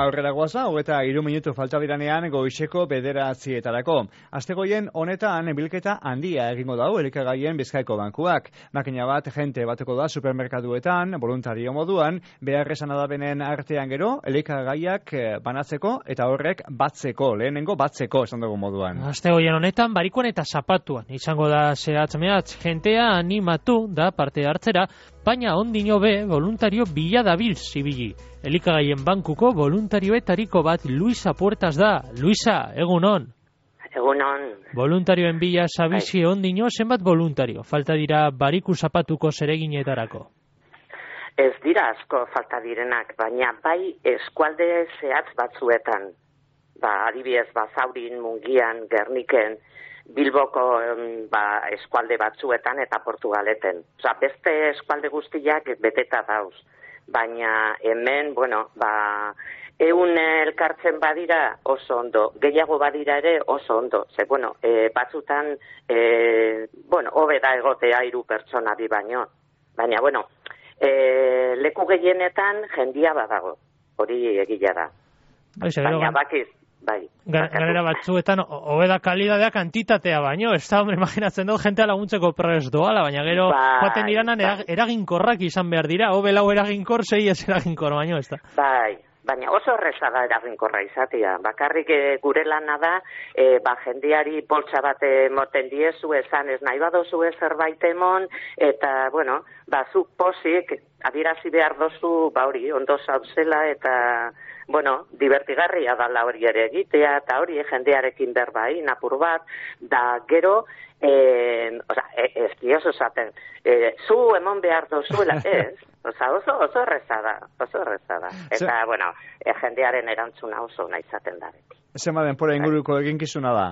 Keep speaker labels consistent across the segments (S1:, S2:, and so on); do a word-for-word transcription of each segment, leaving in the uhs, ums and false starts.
S1: aurrera guaza, hogeta hiru minutu falta diranean goizeko bederatzietarako. Astegoien honetan bilketa handia egingo dau elikagaien Bizkaiko bankuak. Makina bat jente bateko da supermerkaduetan, voluntario moduan, beharrezan adabenen artean gero, elikagaiak banatzeko eta horrek batzeko, lehenengo batzeko esan dugu moduan.
S2: Astegoien honetan barikuan eta zapatuan izango da zehatz mehatz, jentea animatu da parte hartzera, baina ondino be voluntario bila dabil zibili. Elikagaien bankuko voluntarioetariko bat Luisa Puertas da. Luisa, egunon.
S3: Egunon.
S2: Voluntarioen bila sabizi ondino, zenbat voluntario falta dira bariku zapatuko zereginetarako?
S3: Ez dira asko falta direnak, baina bai eskualde zehatz batzuetan. Ba, adibidez, Bazaurin, Mungian, Gerniken, Bilboko ba, eskualde batzuetan eta Portugaleten. Osa, beste eskualde guztiak beteta dauz. Baina hemen, bueno, ba, eun elkartzen badira oso ondo, gehiago badira ere oso ondo. Ze, bueno, e, batzutan, e, bueno, hobe da egotea hiru pertsona bi baino. Baina, bueno, e, leku gehienetan jendia badago, hori egila da. Baina bakiz, bai.
S2: Galera batzuetan, hobeda kalidadea kantitatea baino, ez da, hombre, imaginatzen dut, jentea laguntzeko prest doala, baina gero, joaten diranan, bai. Eraginkorrak izan behar dira, hobe lau eraginkor, sei ez eraginkor baino, ez da.
S3: Bai, baina oso erreza da eraginkorra izatea. Bakarrik e, gure lana da, e, ba, jendeari poltsa bat emoten diezu, esan ez nahi badozu zerbait emon, eta, bueno, ba, zuk posik, adierazi behar dozu, ba hori, ondo zauzela, eta, bueno, divertigarria dala hori ere egitea, eta hori jendearekin berbai, napur bat, da gero, eh, oza, ez diosu zaten, eh, zu emon behar dozuela, ez, oza, oso, oso errezada, oso errezada, eta, Se... bueno, eh, jendearen erantzuna oso nahi zaten da beti.
S1: Zema denpora inguruko eginkizuna da?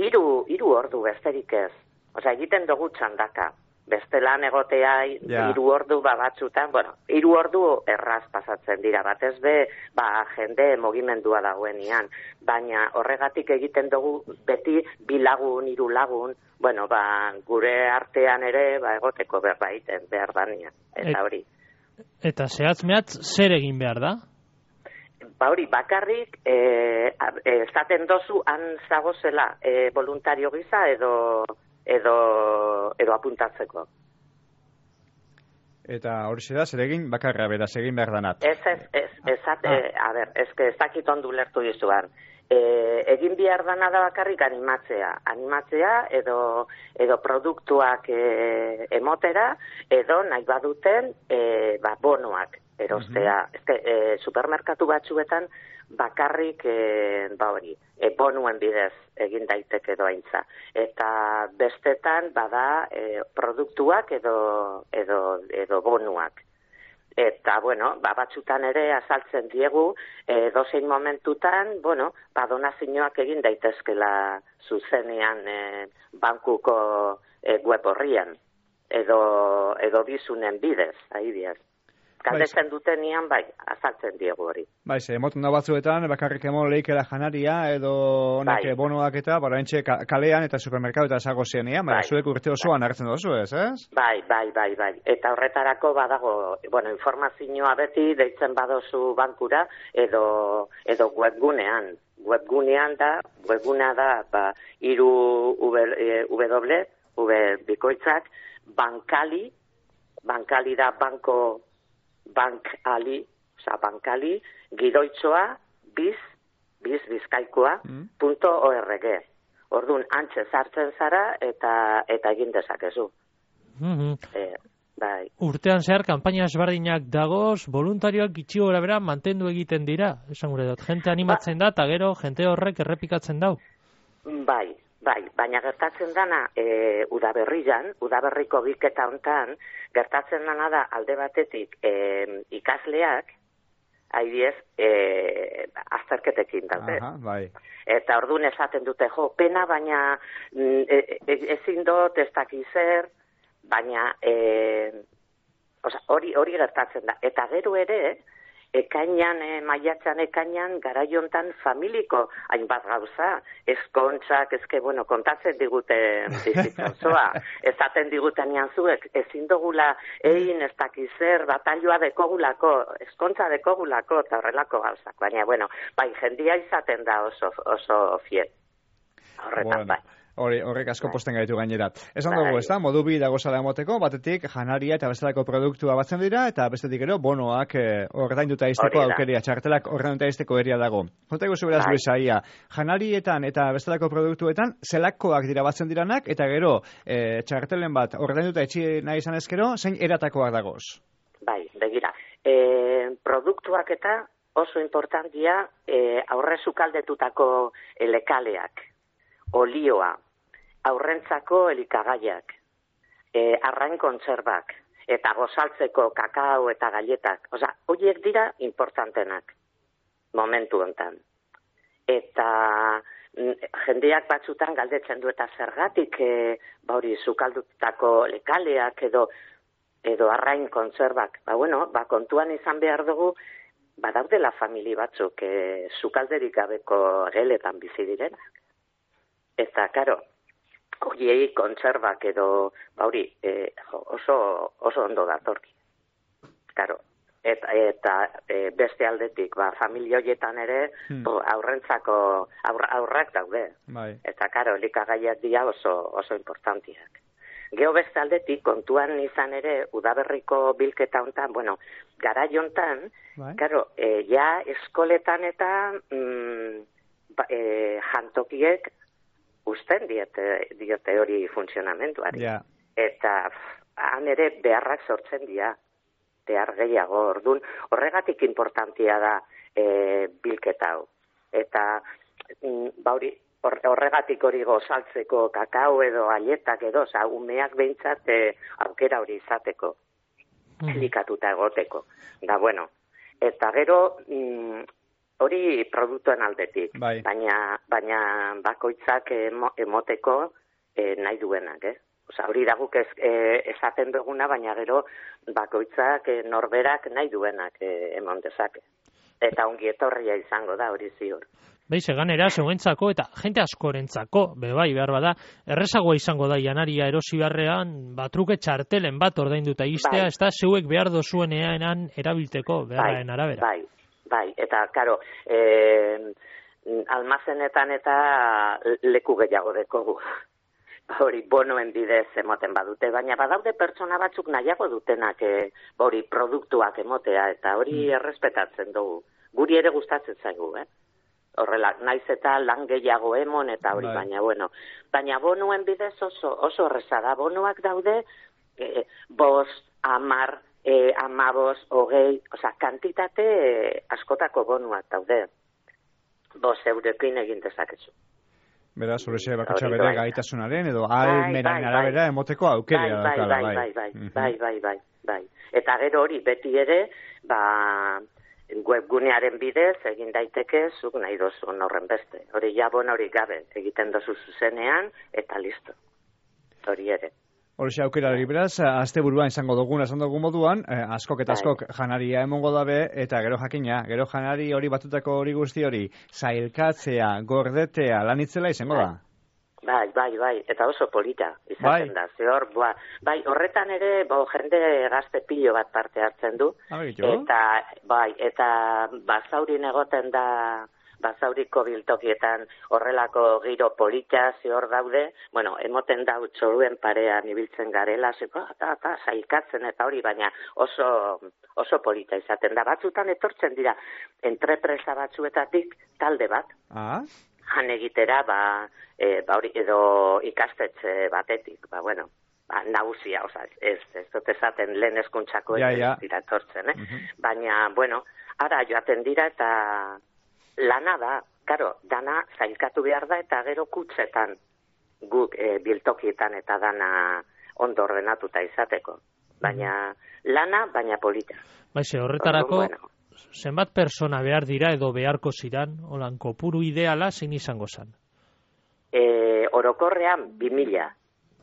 S3: Hiru, hiru ordu besterik ez, oza, egiten dugu txandaka. Beste lan egotea hiru yeah. ordu ba batzutan, bueno, hiru ordu erraz pasatzen dira, batez be, ba, jende mugimendua dagoenean, baina horregatik egiten dugu beti bi lagun, hiru lagun, bueno, ba, gure artean ere, ba, egoteko berbaiten behar dania, eta hori.
S2: Eta zehatz mehatz zer egin behar da?
S3: Ba hori, bakarrik, esaten e, dozu han zagozela e, voluntario gisa edo... edo edo apuntatzeko.
S1: Eta hori da, zer egin bakarra beraz egin behar danat.
S3: Ez, ez, ez, ez, ah. a ber, ez que ez dakit ondu lertu dizuan. E, egin behar dana da bakarrik animatzea. Animatzea edo, edo produktuak e, emotera, edo nahi baduten e, ba, bonoak erostea. Uh-huh. Ez que, e, supermerkatu batzuetan bakarrik e, ba hori, e, bonuen bidez egin daiteke doaintza. Eta bestetan bada e, produktuak edo, edo, edo bonuak. Eta, bueno, ba, batzutan ere azaltzen diegu, e, dozein momentutan, bueno, ba, donazioak egin daitezkela zuzenean e, bankuko e, web horrian, edo, edo bizunen bidez, adibidez. Galdetzen dutenian, bai, azaltzen diegu hori.
S1: Bai, ze, emoten da batzuetan, bakarrik emon leikela janaria, edo honek bai. Bonoak eta, bara entxe kalean eta supermerkatu eta esago zenean, bai, zuek urte osoan bai. Hartzen dozu ez, ez?
S3: Bai, bai, bai, bai. Eta horretarako badago, bueno, informazioa beti deitzen badozu bankura, edo, edo webgunean. Webgunean da, webgunea da, ba, iru w, w bikoitzak, bankali, bankali da banko, bankali, oza, bankali, gidoitzoa, biz, biz, bizkaikoa, mm. punto org. Orduan, antxe sartzen zara eta eta egin dezakezu.
S2: Mm-hmm.
S3: E, bai.
S2: Urtean zehar, kanpaina ezberdinak dagoz, voluntarioak gitxi gora bera mantendu egiten dira, esan gure dut. Jente animatzen ba, da, eta gero, jente horrek errepikatzen dau.
S3: Bai, bai, baina gertatzen dana e, udaberrian, udaberriko bilketa hontan, gertatzen dana da alde batetik e, ikasleak, haidiez, e, azterketekin daude.
S1: Aha, bai.
S3: Eta orduan esaten dute, jo, pena, baina e, e, ezin dut, ez dakiz zer, baina e, oza, hori, hori gertatzen da. Eta gero ere, ekainan, e, maiatzan ekainan, garaiontan familiko hainbat gauza, eskontzak, ezke, bueno, kontatzen digute bizitza osoa, ezaten digutenian zuek, ezin dugula egin ez dakizer, batalloa dekogulako, eskontza dekogulako, eta horrelako gauzak, baina, bueno, bai, jendia izaten da oso, oso fiel, horretan, bueno. Bai.
S1: Hori, horrek asko posten gaitu gainera. Esan dugu, ez da, modu bi dagozala emoteko, batetik janaria eta bestelako produktua batzen dira, eta bestetik ero, bonoak horretain duta izteko aukeria, txartelak horretain duta izteko eria dago. Jota egu zuberaz Luisaia, janarietan eta bestelako produktuetan, zelakoak dira batzen diranak, eta gero, e, txartelen bat horretain duta etxi nahi izan ezkero, zein eratakoak dagoz?
S3: Bai, begira, e, produktuak eta oso importantia e, aurre sukaldetutako lekaleak, olioa, aurrentzako elikagaiak, e, arrain kontserbak, eta gozaltzeko kakao eta galletak. Osa, horiek dira importantenak, momentu hontan. Eta jendeak batzutan galdetzen du eta zergatik, e, ba hori, sukaldutako lekaleak edo edo arrain kontserbak. Ba, bueno, ba, kontuan izan behar dugu, badaudela famili batzuk, e, sukalderik gabeko geletan bizi direnak. Eta, karo, horiei kontserbak edo, bauri, e, oso, oso ondo datorki. Karo, eta, eta e, beste aldetik, ba, familia horietan ere, hmm. bo, aurrentzako aurra, aurrak daude. Bai. Eta, karo, elikagaiak dira oso, oso importantiak. Geho beste aldetik, kontuan izan ere, udaberriko bilketa hontan, bueno, garai hontan, bai. Karo, e, ja eskoletan eta mm, ba, e, jantokiek, usten diote, diote hori funtzionamenduari. Yeah. Eta han ere beharrak sortzen dira, behar gehiago, orduan, horregatik importantia da e, bilketa hau. Eta mm, bauri, horregatik hori gozaltzeko kakao edo aietak edo, oza, umeak behintzat e, aukera hori izateko, mm. elikatuta egoteko. Da, bueno, eta gero... Mm, hori produktuen aldetik, bai. baina, baina bakoitzak emo, emoteko e, nahi duenak, eh? Osa, hori daguk ez, e, esaten duguna, baina gero bakoitzak e, norberak nahi duenak e, emon dezake. Eta ongi etorria izango da, hori ziur.
S2: Beize, ganera, zeuentzako eta jente askorentzako, bebai, behar bada, errezagoa izango da janari erosi beharrean, batruke txartelen bat ordainduta iztea, bai. Ez da zeuek behar dozuenean erabilteko, beharren bai, arabera.
S3: Bai. Bai, eta, karo, eh, almazenetan eta leku gehiago dekogu. Hori, bonoen bidez emoten badute, baina badaude pertsona batzuk nahiago dutenak eh, hori produktuak emotea, eta hori mm. errespetatzen dugu. Guri ere gustatzen zaigu, eh? Horrela, naiz eta lan gehiago emon eta hori, bai. baina, bueno, baina bonoen bidez oso, oso horreza da, bonoak daude, eh, bost, amar, E, amabos, hogei, oza, kantitate e, askotako bonuak daude. Bos eurekin egin dezakezu.
S1: Beraz, horrexe bakotxa bere gaitasunaren edo almenaren arabera emoteko aukerea.
S3: Bai, bai, bai, bai, bai, bai, bai, bai, bai. Eta gero hori beti ere, ba, webgunearen bidez egin daiteke zuk nahi dozun horren beste. Hori ja bon hori gabe egiten dozu zuzenean eta listo. Hori ere.
S1: Horxe aukerari beraz, azte buruan izango dugun, esan dugun moduan, eh, askok eta askok janaria emongo dabe, eta gero jakina, gero janari hori batutako hori guzti hori, zailkatzea, gordetea, lanitzela izango da?
S3: Bai, bai, bai, eta oso polita izaten bai. Da, zehor, boa, bai, horretan ere, bo, jende gazte pilo bat parte hartzen du,
S1: Abitu.
S3: Eta, bai, eta bazaurin egoten da, bazauriko biltokietan horrelako giro polita zehor daude, bueno, emoten dau txoruen parean ibiltzen garela, zeko, eta, eta, zailkatzen eta hori, baina oso, oso polita izaten da. Batzutan etortzen dira, entrepresa batzuetatik talde bat,
S1: ah?
S3: Han egitera, ba, e, ba hori, edo ikastetxe batetik, ba, bueno, ba, nagusia, oza, ez, ez dut esaten lehen eskuntzako
S1: ja, ja.
S3: dira etortzen, eh?
S1: Uh-huh.
S3: Baina, bueno, ara joaten dira eta lana da, karo, dana zailkatu behar da eta gero kutsetan guk e, biltokietan eta dana ondo ordenatuta izateko. Baina lana, baina polita.
S2: Baixe, horretarako, bueno, zenbat persona behar dira edo beharko ziran, holan kopuru ideala zein izango zan?
S3: E, orokorrean, bi mila.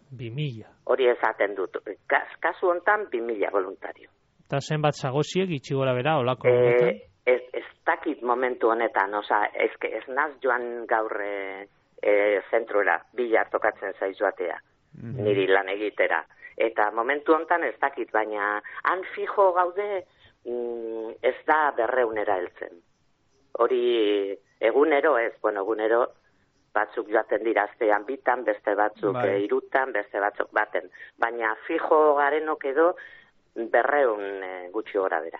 S2: Bi mila.
S3: Hori esaten dut. Kas, kasu hontan, bi mila voluntario.
S2: Eta zenbat zagoziek itxi gora bera, olako honetan?
S3: E, ez, ez dakit momentu honetan, oza, ez, ez naz joan gaur e, e, zentrura, bilar tokatzen zaiz joatea, mm-hmm. niri lan egitera. Eta momentu honetan ez dakit, baina han fijo gaude mm, ez da berreunera heltzen. Hori egunero ez, bueno, egunero batzuk joaten dira astean bitan, beste batzuk bai. irutan, beste batzuk baten. Baina fijo garenok edo berreun e, gutxi gora bera,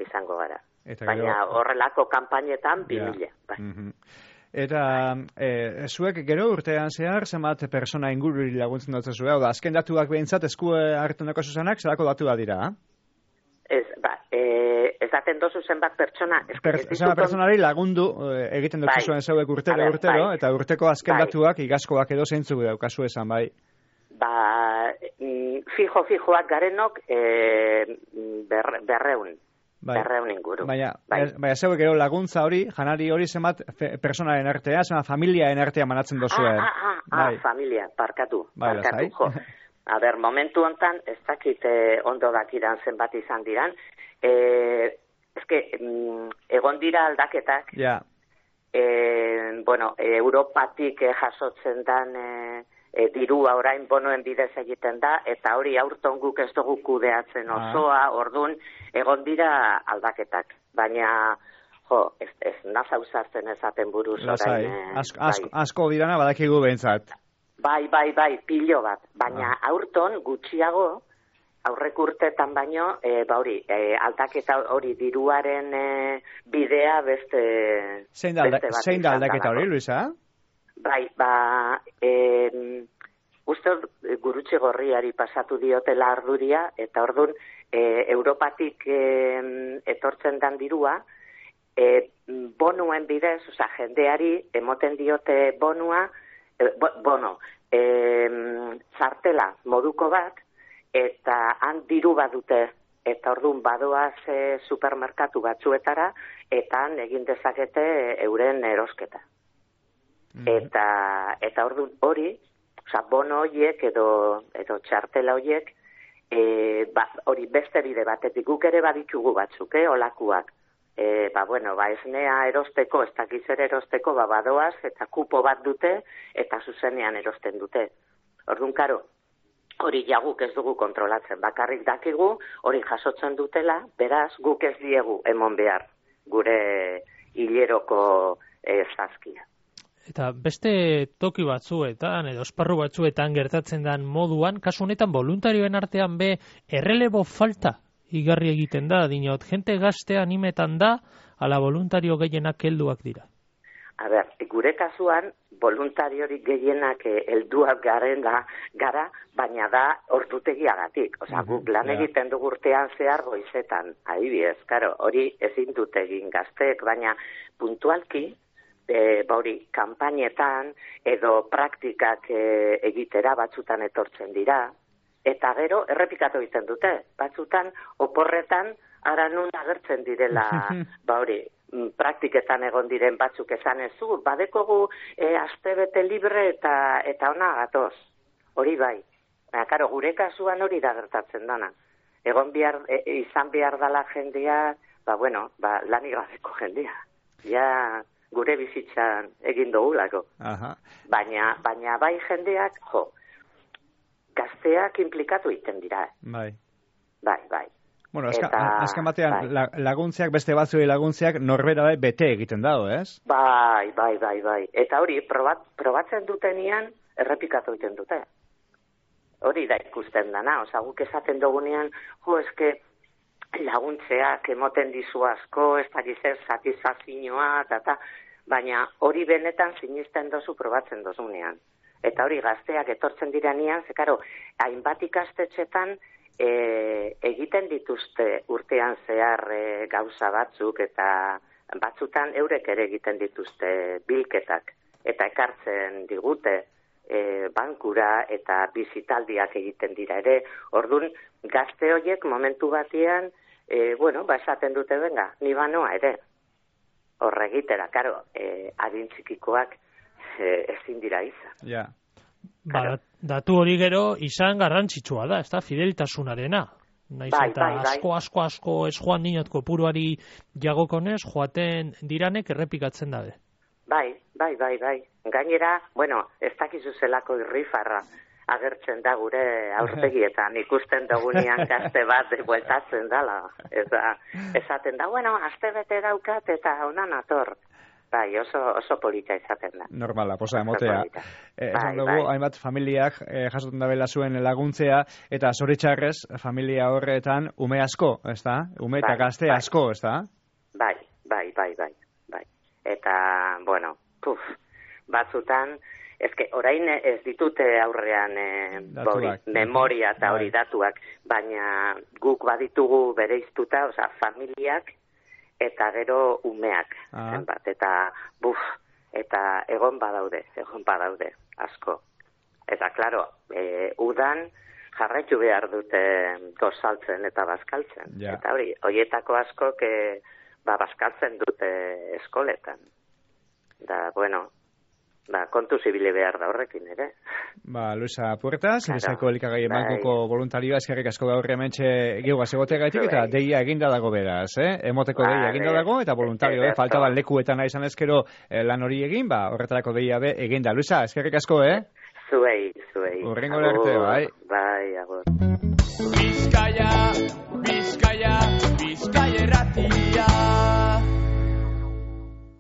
S3: izango gara. Eta baina gero... horrelako kanpainetan bi mila. Bai.
S1: Mm-hmm. Eta e, zuek gero urtean zehar, zenbat persona ingururi laguntzen dut zuen, hau da, azken datuak behintzat esku hartzen dako zuzenak, zelako datu da dira, ha?
S3: Ez, ba, e, ez daten dozu zenbat pertsona...
S1: Per, zenbat personari lagundu e, egiten dut bai. zuen zeuek urtero, ver, urtero, bai. eta urteko azken bai. datuak igaskoak edo zeintzuk daukazu esan, bai?
S3: Ba, fijo-fijoak garenok e, ber, berreun. Bai. Berreun inguru.
S1: Baina, bai. baina zeuek gero laguntza hori, janari hori zenbat personaren artea, zenbat familiaen artea manatzen dozuen.
S3: Ah, ah, ah, bai. ah, familia, parkatu,
S1: bai,
S3: parkatu, jo. A ber, momentu hontan, ez dakit eh, ondo dakidan zenbat izan diran, eh, ezke, mm, egon dira aldaketak,
S1: ja.
S3: eh, bueno, eh, Europatik eh, jasotzen dan... Eh, E, dirua orain bonoen bidez egiten da, eta hori aurton guk ez dugu kudeatzen osoa, ah. ordun egon dira aldaketak. Baina, jo, ez, ez naza usartzen ezaten buruz orain.
S1: Eh, asko, asko, bai. asko dirana badakigu behintzat.
S3: Bai, bai, bai, pilo bat. Baina ah. aurton gutxiago, aurrek urtetan baino, e, ba hori, e, aldaketa hori diruaren e, bidea beste...
S1: Zein da, beste zein da aldaketa hori, Luisa?
S3: Bai, ba, e, uste Gurutze Gorriari pasatu diotela arduria, eta ordun e, Europatik e, etortzen dan dirua, e, bonuen bidez, oza, jendeari emoten diote bonua, e, bo, bono, e, zartela moduko bat, eta han diru badute, eta ordun badoaz e, supermerkatu batzuetara, eta han egin dezakete euren erosketa. Eta eta ordu hori, osea, bono horiek edo edo txartela horiek eh ba, hori beste bide batetik guk ere baditugu batzuk, eh, olakuak. Eh, ba bueno, ba esnea erosteko, ez dakiz ere erosteko, ba badoaz eta kupo bat dute eta zuzenean erosten dute. Ordun karo, hori ja guk ez dugu kontrolatzen, bakarrik dakigu hori jasotzen dutela, beraz guk ez diegu emon behar gure hileroko eh, zazkia.
S2: Eta beste toki batzuetan, edo esparru batzuetan gertatzen den moduan, kasu honetan voluntarioen artean be errelebo falta igarri egiten da, dinot, jente gazte animetan da, ala voluntario gehienak helduak dira.
S3: A ber, gure kasuan, voluntariorik gehienak helduak garen da, gara, baina da ordutegiagatik. Osea, uh-huh, guk lan yeah. egiten dugu urtean zehar goizetan, adibidez, karo, hori ezin dut egin gazteek, baina puntualki, E, bauri, kanpainetan edo praktikak e, egitera batzutan etortzen dira, eta gero errepikatu egiten dute, batzutan oporretan ara nun agertzen direla, bauri, praktiketan egon diren batzuk esan ezu, badekogu e, astebete libre eta eta ona gatoz, hori bai, baina karo, gure kasuan hori da gertatzen dana, egon bihar, e, izan behar dala jendea, ba bueno, ba lanik gabeko jendea, ja... gure bizitzan egin dugulako. Aha. Baina, baina bai jendeak, jo, gazteak implikatu egiten dira.
S1: Bai.
S3: Bai, bai.
S1: Bueno, azka, Eta, azken batean bai. laguntziak, beste batzuei laguntziak norbera bai bete egiten dago, ez?
S3: Bai, bai, bai, bai. Eta hori, probat, probatzen dutenian, errepikatu egiten dute. Hori da ikusten dana, oza, guk esaten dugunean, jo, eske, laguntzeak emoten dizu asko, ez da gizer satisfazioa, eta baina hori benetan sinisten dozu probatzen dozunean. Eta hori gazteak etortzen direnean, ze karo, hainbat ikastetxetan e, egiten dituzte urtean zehar e, gauza batzuk, eta batzutan eurek ere egiten dituzte bilketak, eta ekartzen digute e, bankura eta bizitaldiak egiten dira ere. Ordun gazte horiek momentu batean, E, bueno, ba, esaten dute, venga, ni banoa ere. Horregitera, karo, e, adin txikikoak e, ezin dira izan.
S2: Ja. Ba, datu hori gero izan garrantzitsua da, ez da, fideltasunarena. Naiz
S3: bai,
S2: eta
S3: bai, bai.
S2: asko, asko, asko ez joan dinot kopuruari jagokonez, joaten diranek errepikatzen dabe.
S3: Bai, bai, bai, bai. Gainera, bueno, ez dakizu zelako irrifarra agertzen da gure aurpegietan, ikusten dugunean gazte bat bueltatzen dala. Eza, esaten da, bueno, aste bete daukat eta honan ator. Bai, oso, oso polita izaten da.
S1: Normala, posa emotea. Eh, esan
S3: bai,
S1: dugu,
S3: bai.
S1: hainbat familiak eh, jasotzen dabela zuen laguntzea, eta zoritxarrez, familia horretan ume asko, ez da? Ume eta
S3: Bai,
S1: gazte
S3: bai.
S1: asko, ez da?
S3: Bai, bai, bai, bai, bai. Eta, bueno, puf, batzutan, ezke, orain ez ditute aurrean eh, hori,
S1: Datuak.
S3: memoria eta hori
S1: Bai.
S3: datuak, baina guk baditugu bereiztuta, osea, familiak eta gero umeak,
S1: Ah.
S3: zenbat, eta buf, eta egon badaude, egon badaude, asko. Eta, klaro, e, udan jarraitu behar dute gozaltzen eta bazkaltzen.
S1: Ja.
S3: Eta hori, horietako askok e, ba, bazkaltzen dute eskoletan. Da, bueno, ba, kontu zibile behar da horrekin ere.
S1: Ba, Luisa Puertas,
S3: Claro.
S1: Bizkaiko Elikagaien
S3: Bai.
S1: Bankuko voluntarioa, eskerrik asko gaur hementxe geugaz egoteagatik, eta
S3: Bai.
S1: deia eginda dago beraz, eh? Emoteko deia
S3: Vale.
S1: eginda dago, eta voluntario, eh?
S3: Ederto.
S1: Faltaban lekuetan izan ezkero eh, lan hori egin, ba, horretarako deia be eginda. Luisa, eskerrik asko, eh?
S3: Zuei, zuei.
S1: Hurrengo
S3: Agur.
S1: arte, bai.
S3: Bai, agur.
S4: Bizkaia, Bizkaia, Bizkaia errati.